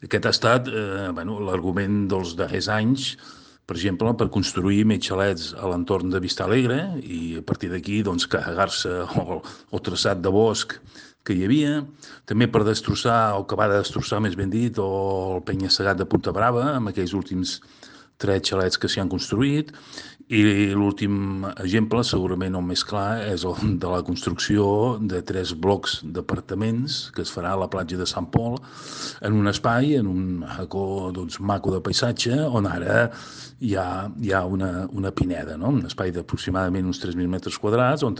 Aquest ha estat l'argument dels darrers anys, per exemple, per construir més xalets a l'entorn de Vista Alegre i a partir d'aquí carregar-se el traçat de bosc que hi havia, també per destrossar, o acabar de destrossar, més ben dit, el penya-segat de Punta Brava, amb aquells últims 3 xalets que s'hi han construït, i l'últim exemple, segurament el més clar, és el de la construcció de 3 blocs d'apartaments que es farà a la platja de Sant Pol, en un espai, en un racó maco de paisatge, on ara hi ha una pineda, no? Un espai d'aproximadament uns 3.000 metres quadrats, on